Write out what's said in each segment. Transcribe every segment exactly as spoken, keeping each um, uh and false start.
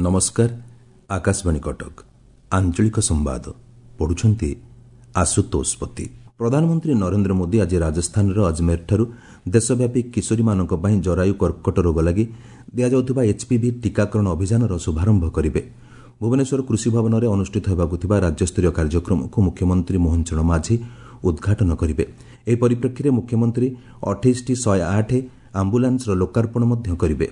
ନମସ୍କାର, ଆକାଶବାଣୀ କଟକ, ଆଞ୍ଚଳିକ ସମ୍ବାଦ ପଢୁଛନ୍ତି ଆଶୁତୋଷ ପତି। ପ୍ରଧାନମନ୍ତ୍ରୀ ନରେନ୍ଦ୍ର ମୋଦି ଆଜି ରାଜସ୍ଥାନର ଅଜମେରଠାରୁ ଦେଶବ୍ୟାପୀ କିଶୋରୀମାନଙ୍କ ପାଇଁ ଜରାୟୁ କର୍କଟ ରୋଗ ଲାଗି ଦିଆଯାଉଥିବା ଏଚ୍ପିଭି ଟିକାକରଣ ଅଭିଯାନର ଶୁଭାରମ୍ଭ କରିବେ। ଭୁବନେଶ୍ୱର କୃଷି ଭବନରେ ଅନୁଷ୍ଠିତ ହେବାକୁ ଥିବା ରାଜ୍ୟସ୍ତରୀୟ କାର୍ଯ୍ୟକ୍ରମକୁ ମୁଖ୍ୟମନ୍ତ୍ରୀ ମୋହନ ଚରଣ ମାଝୀ ଉଦ୍ଘାଟନ କରିବେ। ଏହି ପରିପ୍ରେକ୍ଷୀରେ ମୁଖ୍ୟମନ୍ତ୍ରୀ ଅଠେଇଶଟି ଶହେ ଆଠ ଆମ୍ବୁଲାନ୍ସର ଲୋକାର୍ପଣ ମଧ୍ୟ କରିବେ।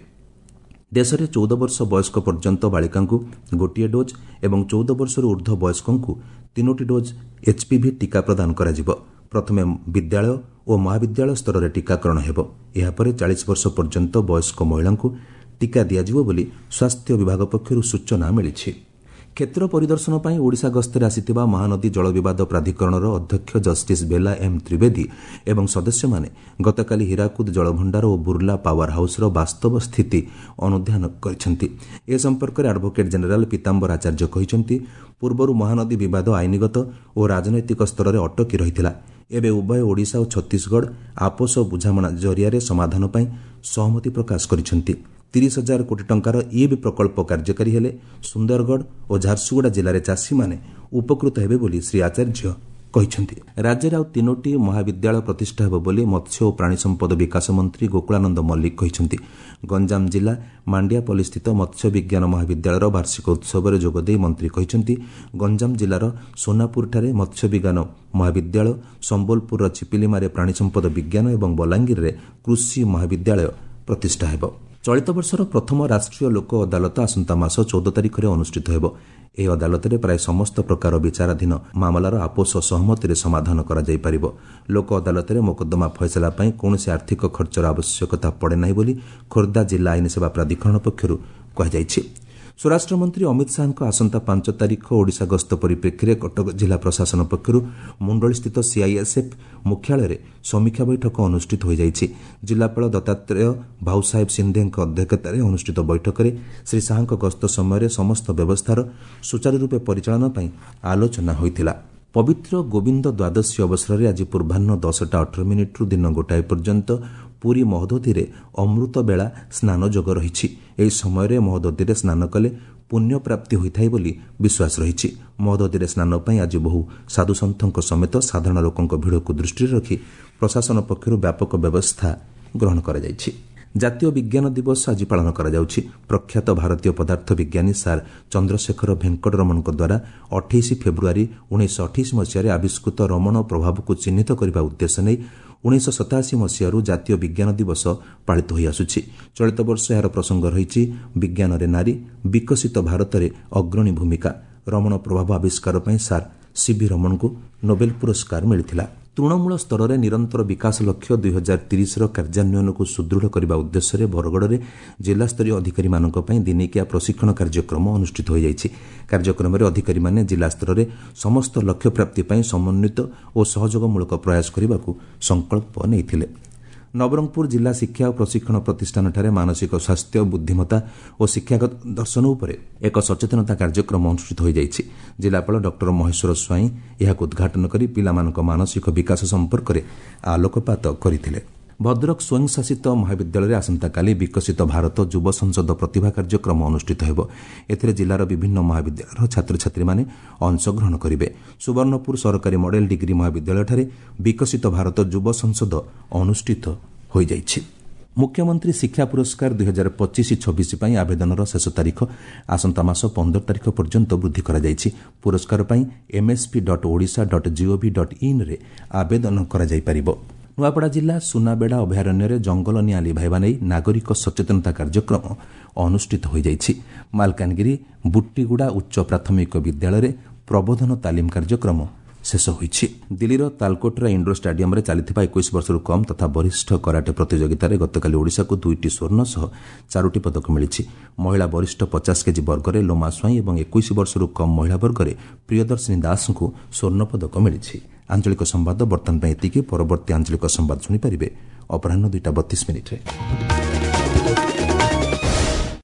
ଦେଶରେ ଚଉଦ ବର୍ଷ ବୟସ୍କ ପର୍ଯ୍ୟନ୍ତ ବାଳିକାଙ୍କୁ ଗୋଟିଏ ଡୋଜ୍ ଏବଂ ଚଉଦ ବର୍ଷରୁ ଉର୍ଦ୍ଧ୍ୱ ବୟସ୍କଙ୍କୁ ତିନୋଟି ଡୋଜ୍ ଏଚ୍ପିଭି ଟିକା ପ୍ରଦାନ କରାଯିବ। ପ୍ରଥମେ ବିଦ୍ୟାଳୟ ଓ ମହାବିଦ୍ୟାଳୟ ସ୍ତରରେ ଟିକାକରଣ ହେବ। ଏହାପରେ ଚାଳିଶ ବର୍ଷ ପର୍ଯ୍ୟନ୍ତ ବୟସ୍କ ମହିଳାଙ୍କୁ ଟିକା ଦିଆଯିବ ବୋଲି ସ୍ୱାସ୍ଥ୍ୟ ବିଭାଗ ପକ୍ଷରୁ ସୂଚନା ମିଳିଛି। କ୍ଷେତ୍ର ପରିଦର୍ଶନ ପାଇଁ ଓଡ଼ିଶା ଗସ୍ତରେ ଆସିଥିବା ମହାନଦୀ ଜଳ ବିବାଦ ପ୍ରାଧିକରଣର ଅଧ୍ୟକ୍ଷ ଜଷ୍ଟିସ୍ ବେଲା ଏମ୍ ତ୍ରିବେଦୀ ଏବଂ ସଦସ୍ୟମାନେ ଗତକାଲି ହୀରାକୁଦ ଜଳଭଣ୍ଡାର ଓ ବୁର୍ଲା ପାୱାର ହାଉସ୍ର ବାସ୍ତବ ସ୍ଥିତି ଅନୁଧ୍ୟାନ କରିଛନ୍ତି। ଏ ସମ୍ପର୍କରେ ଆଡଭୋକେଟ୍ ଜେନେରାଲ ପୀତାମ୍ବର ଆଚାର୍ଯ୍ୟ କହିଛନ୍ତି, ପୂର୍ବରୁ ମହାନଦୀ ବିବାଦ ଆଇନଗତ ଓ ରାଜନୈତିକ ସ୍ତରରେ ଅଟକି ରହିଥିଲା। ଏବେ ଉଭୟ ଓଡ଼ିଶା ଓ ଛତିଶଗଡ଼ ଆପୋଷ ବୁଝାମଣା ଜରିଆରେ ସମାଧାନ ପାଇଁ ସହମତି ପ୍ରକାଶ କରିଛନ୍ତି। ତିରିଶ ହଜାର କୋଟି ଟଙ୍କାର ଇବ୍ ପ୍ରକଳ୍ପ କାର୍ଯ୍ୟକାରୀ ହେଲେ ସୁନ୍ଦରଗଡ଼ ଓ ଝାରସୁଗୁଡ଼ା ଜିଲ୍ଲାରେ ଚାଷୀମାନେ ଉପକୃତ ହେବେ ବୋଲି ଶ୍ରୀ ଆଚାର୍ଯ୍ୟ କହିଛନ୍ତି। ରାଜ୍ୟରେ ଆଉ ତିନୋଟି ମହାବିଦ୍ୟାଳୟ ପ୍ରତିଷ୍ଠା ହେବ ବୋଲି ମତ୍ସ୍ୟ ଓ ପ୍ରାଣୀ ସମ୍ପଦ ବିକାଶ ମନ୍ତ୍ରୀ ଗୋକୁଳାନନ୍ଦ ମଲ୍ଲିକ କହିଛନ୍ତି। ଗଞ୍ଜାମ ଜିଲ୍ଲା ମାଣ୍ଡିଆପଲ୍ଲୀସ୍ଥିତ ମତ୍ସ୍ୟ ବିଜ୍ଞାନ ମହାବିଦ୍ୟାଳୟର ବାର୍ଷିକ ଉତ୍ସବରେ ଯୋଗଦେଇ ମନ୍ତ୍ରୀ କହିଛନ୍ତି, ଗଞ୍ଜାମ ଜିଲ୍ଲାର ସୋନାପୁରଠାରେ ମତ୍ସ୍ୟ ବିଜ୍ଞାନ ମହାବିଦ୍ୟାଳୟ, ସମ୍ବଲପୁରର ଚିପିଲିମାରେ ପ୍ରାଣୀ ସମ୍ପଦ ବିଜ୍ଞାନ ଏବଂ ବଲାଙ୍ଗୀରରେ କୃଷି ମହାବିଦ୍ୟାଳୟ ପ୍ରତିଷ୍ଠା ହେବ। ଚଳିତ ବର୍ଷର ପ୍ରଥମ ରାଷ୍ଟ୍ରୀୟ ଲୋକ ଅଦାଲତ ଆସନ୍ତା ମାସ ଚଉଦ ତାରିଖରେ ଅନୁଷ୍ଠିତ ହେବ। ଏହି ଅଦାଲତରେ ପ୍ରାୟ ସମସ୍ତ ପ୍ରକାର ବିଚାରାଧୀନ ମାମଲାର ଆପୋଷ ସହମତିରେ ସମାଧାନ କରାଯାଇପାରିବ। ଲୋକ ଅଦାଲତରେ ମୋକଦ୍ଦମା ଫଇସଲା ପାଇଁ କୌଣସି ଆର୍ଥିକ ଖର୍ଚ୍ଚର ଆବଶ୍ୟକତା ପଡ଼େ ନାହିଁ ବୋଲି ଖୋର୍ଦ୍ଧା ଜିଲ୍ଲା ଆଇନସେବା ପ୍ରାଧିକରଣ ପକ୍ଷରୁ କୁହାଯାଇଛି। ସ୍ୱରାଷ୍ଟ୍ରମନ୍ତ୍ରୀ ଅମିତ ଶାହାଙ୍କ ଆସନ୍ତା ପାଞ୍ଚ ତାରିଖ ଓଡ଼ିଶା ଗସ୍ତ ପରିପ୍ରେକ୍ଷୀରେ କଟକ ଜିଲ୍ଲା ପ୍ରଶାସନ ପକ୍ଷରୁ ମୁଣ୍ଡଳିସ୍ଥିତ ସିଆଇଏସ୍ଏଫ୍ ମୁଖ୍ୟାଳୟରେ ସମୀକ୍ଷା ବୈଠକ ଅନୁଷ୍ଠିତ ହୋଇଯାଇଛି। ଜିଲ୍ଲାପାଳ ଦତ୍ତାତ୍ରେୟ ଭାଉସାହେବ ସିନ୍ଧେଙ୍କ ଅଧ୍ୟକ୍ଷତାରେ ଅନୁଷ୍ଠିତ ବୈଠକରେ ଶ୍ରୀ ଶାହାଙ୍କ ଗସ୍ତ ସମୟରେ ସମସ୍ତ ବ୍ୟବସ୍ଥାର ସୁଚାରୁରୂପେ ପରିଚାଳନା ପାଇଁ ଆଲୋଚନା ହୋଇଥିଲା। ପବିତ୍ର ଗୋବିନ୍ଦ ଦ୍ୱାଦଶୀ ଅବସରରେ ଆଜି ପୂର୍ବାହ୍ନ ଦଶଟା ଅଠର ମିନିଟ୍ରୁ ଦିନ ଗୋଟାଏ ପର୍ଯ୍ୟନ୍ତ ପୁରୀ ମହୋଦଧିରେ ଅମୃତବେଳା ସ୍ନାନ ଯୋଗ ରହିଛି। ଏହି ସମୟରେ ମହୋଦଧିରେ ସ୍ନାନ କଲେ ପୁଣ୍ୟପ୍ରାପ୍ତି ହୋଇଥାଏ ବୋଲି ବିଶ୍ୱାସ ରହିଛି। ମହୋଦଧିରେ ସ୍ନାନ ପାଇଁ ଆଜି ବହୁ ସାଧୁସନ୍ଥଙ୍କ ସମେତ ସାଧାରଣ ଲୋକଙ୍କ ଭିଡ଼କୁ ଦୃଷ୍ଟିରେ ରଖି ପ୍ରଶାସନ ପକ୍ଷରୁ ବ୍ୟାପକ ବ୍ୟବସ୍ଥା ଗ୍ରହଣ କରାଯାଇଛି। ଜାତୀୟ ବିଜ୍ଞାନ ଦିବସ ଆଜି ପାଳନ କରାଯାଉଛି। ପ୍ରଖ୍ୟାତ ଭାରତୀୟ ପଦାର୍ଥ ବିଜ୍ଞାନୀ ସାର୍ ଚନ୍ଦ୍ରଶେଖର ଭେଙ୍କଟରମଣଙ୍କ ଦ୍ୱାରା ଅଠେଇଶ ଫେବୃଆରୀ ଉଣେଇଶହ ଅଠେଇଶ ମସିହାରେ ଆବିଷ୍କୃତ ରମଣ ପ୍ରଭାବକୁ ଚିହ୍ନିତ କରିବା ଉଦ୍ଦେଶ୍ୟ ନେଇ ଉଣେଇଶହ ସତାଅଶୀ ମସିହାରୁ ଜାତୀୟ ବିଜ୍ଞାନ ଦିବସ ପାଳିତ ହୋଇଆସୁଛି। ଚଳିତ ବର୍ଷ ଏହାର ପ୍ରସଙ୍ଗ ରହିଛି ବିଜ୍ଞାନରେ ନାରୀ, ବିକଶିତ ଭାରତରେ ଅଗ୍ରଣୀ ଭୂମିକା। ରମଣ ପ୍ରଭାବ ଆବିଷ୍କାର ପାଇଁ ସାର୍ ସିଭି ରମଣଙ୍କୁ ନୋବେଲ ପୁରସ୍କାର ମିଳିଥିଲା। ତୃଣମୂଳ ସ୍ତରରେ ନିରନ୍ତର ବିକାଶ ଲକ୍ଷ୍ୟ ଦୁଇ ହଜାର ତିରିଶର କାର୍ଯ୍ୟାନ୍ୱୟନକୁ ସୁଦୃଢ଼ କରିବା ଉଦ୍ଦେଶ୍ୟରେ ବରଗଡ଼ରେ ଜିଲ୍ଲାସ୍ତରୀୟ ଅଧିକାରୀମାନଙ୍କ ପାଇଁ ଦିନିକିଆ ପ୍ରଶିକ୍ଷଣ କାର୍ଯ୍ୟକ୍ରମ ଅନୁଷ୍ଠିତ ହୋଇଯାଇଛି। କାର୍ଯ୍ୟକ୍ରମରେ ଅଧିକାରୀମାନେ ଜିଲ୍ଲାସ୍ତରରେ ସମସ୍ତ ଲକ୍ଷ୍ୟପ୍ରାପ୍ତି ପାଇଁ ସମନ୍ୱିତ ଓ ସହଯୋଗମୂଳକ ପ୍ରୟାସ କରିବାକୁ ସଂକଳ୍ପ ନେଇଥିଲେ। ନବରଙ୍ଗପୁର ଜିଲ୍ଲା ଶିକ୍ଷା ଓ ପ୍ରଶିକ୍ଷଣ ପ୍ରତିଷ୍ଠାନଠାରେ ମାନସିକ ସ୍ୱାସ୍ଥ୍ୟ, ବୁଦ୍ଧିମତ୍ତା ଓ ଶିକ୍ଷାଗତ ଦର୍ଶନ ଉପରେ ଏକ ସଚେତନତା କାର୍ଯ୍ୟକ୍ରମ ଅନୁଷ୍ଠିତ ହୋଇଯାଇଛି। ଜିଲ୍ଲାପାଳ ଡକ୍ଟର ମହେଶ୍ୱର ସ୍ୱାଇଁ ଏହାକୁ ଉଦ୍ଘାଟନ କରି ପିଲାମାନଙ୍କ ମାନସିକ ବିକାଶ ସମ୍ପର୍କରେ ଆଲୋକପାତ କରିଥିଲେ। ଭଦ୍ରକ ସ୍ୱୟଂଶାସିତ ମହାବିଦ୍ୟାଳୟରେ ଆସନ୍ତାକାଲି ବିକଶିତ ଭାରତ ଯୁବ ସଂସଦ ପ୍ରତିଭା କାର୍ଯ୍ୟକ୍ରମ ଅନୁଷ୍ଠିତ ହେବ। ଏଥିରେ ଜିଲ୍ଲାର ବିଭିନ୍ନ ମହାବିଦ୍ୟାଳୟର ଛାତ୍ରଛାତ୍ରୀମାନେ ଅଂଶଗ୍ରହଣ କରିବେ। ସୁବର୍ଣ୍ଣପୁର ସରକାରୀ ମଡେଲ ଡିଗ୍ରୀ ମହାବିଦ୍ୟାଳୟଠାରେ ବିକଶିତ ଭାରତ ଯୁବ ସଂସଦ ଅନୁଷ୍ଠିତ ହୋଇଯାଇଛି। ମୁଖ୍ୟମନ୍ତ୍ରୀ ଶିକ୍ଷା ପୁରସ୍କାର ଦୁଇ ହଜାର ପଚିଶ ଛବିଶ ପାଇଁ ଆବେଦନର ଶେଷ ତାରିଖ ଆସନ୍ତା ମାସ ପନ୍ଦର ତାରିଖ ପର୍ଯ୍ୟନ୍ତ ବୃଦ୍ଧି କରାଯାଇଛି। ପୁରସ୍କାର ପାଇଁ MSP dot Odisha dot GOV dot ଇନ୍ରେ ଆବେଦନ କରାଯାଇପାରିବ। ନୂଆପଡ଼ା ଜିଲ୍ଲା ସୁନାବେଡ଼ା ଅଭୟାରଣ୍ୟରେ ଜଙ୍ଗଲ ନିଆଁ ଲିଭାଇବା ନେଇ ନାଗରିକ ସଚେତନତା କାର୍ଯ୍ୟକ୍ରମ ଅନୁଷ୍ଠିତ ହୋଇଯାଇଛି। ମାଲକାନଗିରି ବୁଟିଗୁଡ଼ା ଉଚ୍ଚ ପ୍ରାଥମିକ ବିଦ୍ୟାଳୟରେ ପ୍ରବୋଧନ ତାଲିମ କାର୍ଯ୍ୟକ୍ରମ ଶେଷ ହୋଇଛି। ଦିଲ୍ଲୀର ତାଲକୋଟରା ଇଣ୍ଡୋର ଷ୍ଟାଡିୟମରେ ଚାଲିଥିବା ଏକୋଇଶ ବର୍ଷରୁ କମ୍ ତଥା ବରିଷ୍ଠ କରାଟେ ପ୍ରତିଯୋଗିତାରେ ଗତକାଲି ଓଡ଼ିଶାକୁ ଦୁଇଟି ସ୍ୱର୍ଣ୍ଣ ସହ ଚାରୋଟି ପଦକ ମିଳିଛି। ମହିଳା ବରିଷ୍ଠ ପଚାଶ କେଜି ବର୍ଗରେ ଲୋମା ସ୍ୱାଇଁ ଏବଂ ଏକୋଇଶ ବର୍ଷରୁ କମ୍ ମହିଳା ବର୍ଗରେ ପ୍ରିୟଦର୍ଶିନୀ ଦାସଙ୍କୁ ସ୍ୱର୍ଣ୍ଣ ପଦକ ମିଳିଛି। ଆଞ୍ଚଳିକ ସମ୍ବାଦ ବର୍ତ୍ତମାନ ପାଇଁ ଏତିକି। ପରବର୍ତ୍ତୀ ଆଞ୍ଚଳିକ ସମ୍ବାଦ ଶୁଣିପାରିବେ ଅପରାହ୍ନ ଦୁଇଟା ବତିଶ ମିନିଟ୍ରେ।